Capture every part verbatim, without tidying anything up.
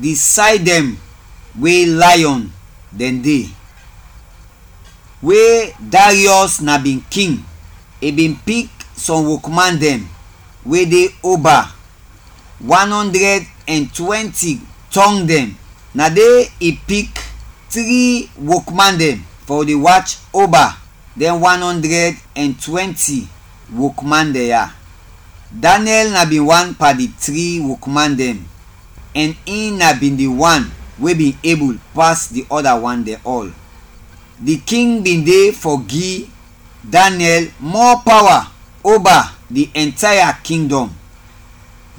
di say dɛn we lion dɛn de. We Darius na bin king, i bin pik sɔm wokman dɛn we de oba, wan ɔndrɛd ɛn twɛnti tɔng dɛn. Na de i pik tri wokman dɛn fɔ de wach oba dɛn wan ɔndrɛd ɛn twɛnti wokman dɛn ya. Daniɛl na bin wan pan di tri wokman dɛn, ɛn in na bin di wan we bin ebul pas di ɔda wan dɛn ɔl. Di king bin de fɔ gi Daniɛl mɔ pawa oba di ɛntaya kingdɔm.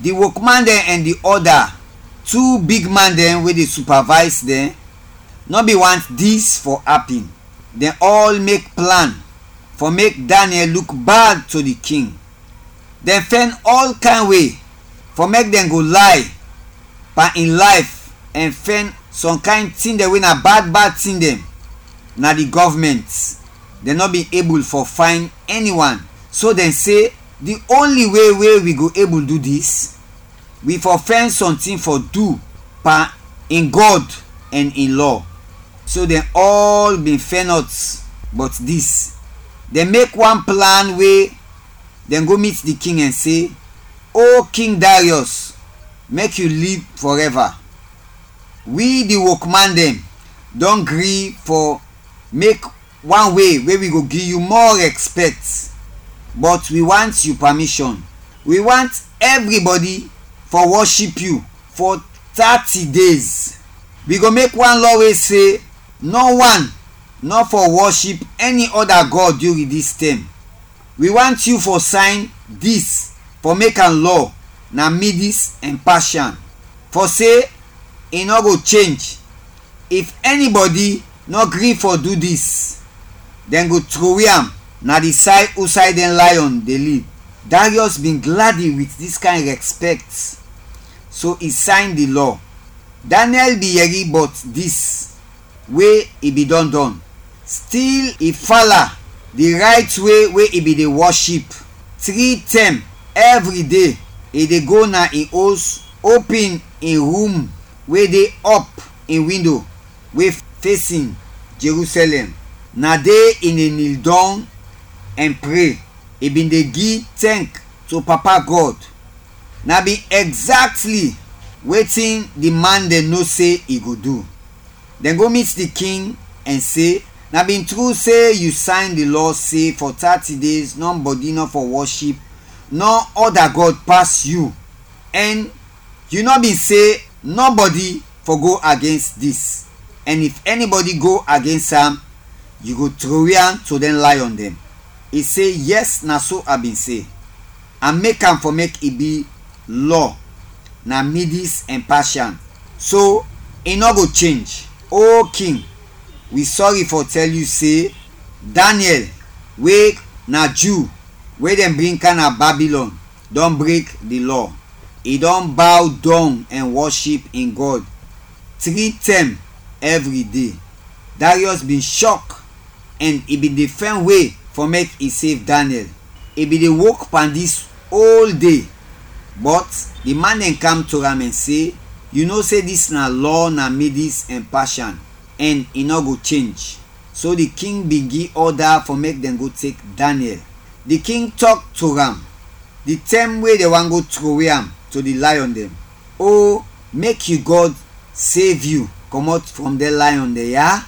Di wokman dɛn ɛn di ɔda tu bigman dɛn we de supavays dɛn nɔ bin want dis fɔ apin. Dɛn ɔl mek plan fɔ mek Daniɛl luk bad to di king. Dɛn fɛn ɔl kayn we fɔ mek dɛn go lay pan in layf ɛn fɛn sɔm kayn tin dɛn we na bad bad tin dɛn na di gɔvmɛnt. Dɛn nɔ bin ebul fɔ fayn ɛniwan, so dɛn se, di onli we we wi go ebul du dis, wi fɔ fɛn sɔntin fɔ du pan in Gɔd ɛn in lɔ. So dɛn ɔl bin fɛnɔt bɔt dis. Dɛn mek wan plan we dɛn go mit di king ɛn se, O King Darius, mek yu liv fɔrɛva. Wi di wokman dɛn dɔn gri fɔ mek wan we we wi go gi yu mɔ rɛspɛkt, bɔt wi want yu pamishɔn. Wi want ɛvribɔdi fɔ wɔship yu fɔ tati dez. Wi go mek wan lɔ we se nɔ wan nɔ fɔ wɔship ɛni ɔda gɔd during dis tɛm. Wi want yu fɔ sayn dis fɔ mek am lɔ na Midis ɛn Pashan, fɔ se i nɔ go chenj. If ɛnibɔdi nɔ gri fɔ du dis, dɛn go trowe am na di say usay dɛn layɔn de liv. Darius bin gladi wit dis kayn rɛspɛkt, so i sayn di lɔ. Daniɛl bin yɛri bɔt dis we i bin dɔn dɔn. Stil i fala di rayt we we i bin de wɔship. Tri tɛm ɛvri de i de go na in os, opin in rum we de ɔp in windo we fesin Jerusɛlɛm. Na de i de nil dɔng ɛn pre. I bin de gi tɛnk to Papa Gɔd. Na bin ɛgzaktli wetin di man dɛn no se i go du. Dɛn go mit di king ɛn se, na bin tru se yu sayn di lɔ se fɔ tati dez nɔbɔdi nɔ fɔ wɔship nɔ ɔda gɔd pas yu, ɛn yu nɔ bin se nɔbɔdi fɔ go agens dis, ɛn if ɛnibɔdi go agens am, yu go trowe am to dɛn layɔn dɛn. I se, yɛs, na so a bin se. A mek am fɔ mek i bi lɔ na Midis ɛn Pashan, so i nɔ go chenj. O king, wi sɔri fɔ tɛl yu se Daniɛl, we na Ju we dɛn bring kam na Babilɔn, dɔn brek di lɔ. I dɔn baw dɔng ɛn wɔship in Gɔd tri tɛm ɛvri de. Darius bin shɔk ɛn i bin de fɛn we fɔ mek i sev Daniɛl. I bin de wok pan dis ol de, bɔt di man dɛn kam to am ɛn se, yu no se dis na lɔ na Midis ɛn Pashan, ɛn i nɔ go chenj. So di king bin gi ɔda fɔ mek dɛn go tek Daniɛl. Di king tɔk to am di tɛm we dɛn want go trowe am to di layɔn dɛn, O, mek yu Gɔd sev yu kɔmɔt frɔm dɛn layɔn dɛn ya.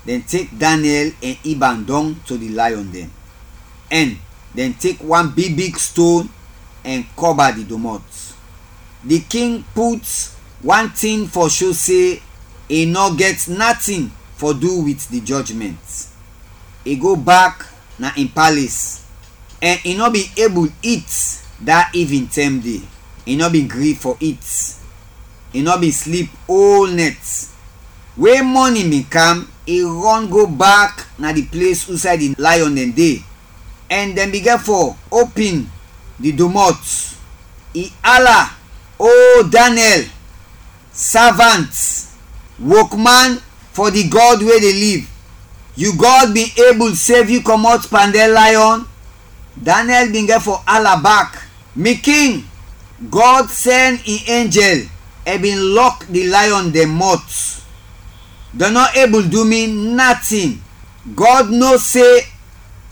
Dɛn tek Daniɛl ɛn ib am dɔng to di layɔn dɛn, ɛn dɛn tek wan bigbig ston ɛn kɔba di domɔt. Di king put wan tin fɔ sho se i nɔ gɛt natin fɔ du wit di jɔjmɛnt. I go bak na in pales, ɛn i nɔ bin ebul it da ivin tɛm de. I nɔ bin gri fɔ it. I nɔ bin slip ol nɛt. We mɔnin bin kam, i rɔn go bak na di ples usay di layɔn dɛn de, ɛn dɛn bigin fɔ opin di domɔt. I ala, O Daniɛl, savant, wokman fɔ di Gɔd we de liv, yu Gɔd bin ebul sev yu kɔmɔt pan dɛn layɔn? Daniɛl bin gɛt fɔ ala bak, mi king, Gɔd sɛn in enjɛl Ɛ bin lɔk di lion dɛn mɔt. Dɛn nɔ ebul du mi natin. Gɔd no se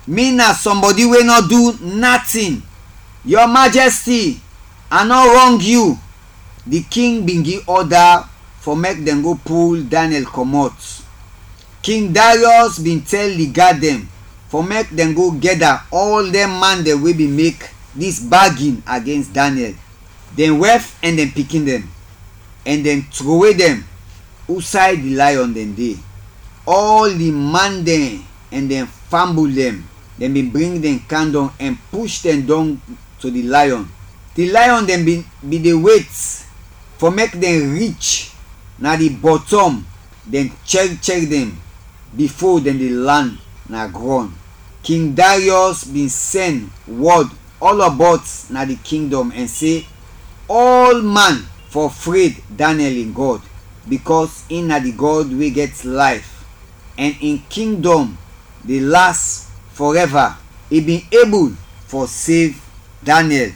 mi na sɔmbɔdi we nɔ du natin. Yu Majɛsti, a nɔ rɔng yu. Di king bin gi ɔda fɔ mek dɛn go pul Daniɛl kɔmɔt. King Dariɔs bin tɛl di gad dɛn fɔ mek dɛn go gɛda ɔl dɛn man dɛn we bin mek dis bagin agens Daniɛl, dɛn wɛf ɛn dɛn pikin dɛn, ɛn dɛn trowe dɛn usay di layɔn dɛn de. Ɔl di man dɛn ɛn dɛn fambul dɛn, dɛn bin bring dɛn kam dɔng ɛn push dɛn dɔng to di layɔn. Di layɔn dɛn bin bin de wet fɔ mek dɛn rich na di bɔtɔm, dɛn chɛr chɛr dɛn bifo dɛn de lan na grɔn. King Dariɔs bin sɛn wɔd ɔlɔbɔt na di kingdɔm ɛn se, ɔl man fɔ fred Daniɛl in Gɔd, bikɔs in na di Gɔd we gɛt layf, ɛn in kingdɔm de las fɔrɛva. I bin ebul fɔ sev Daniɛl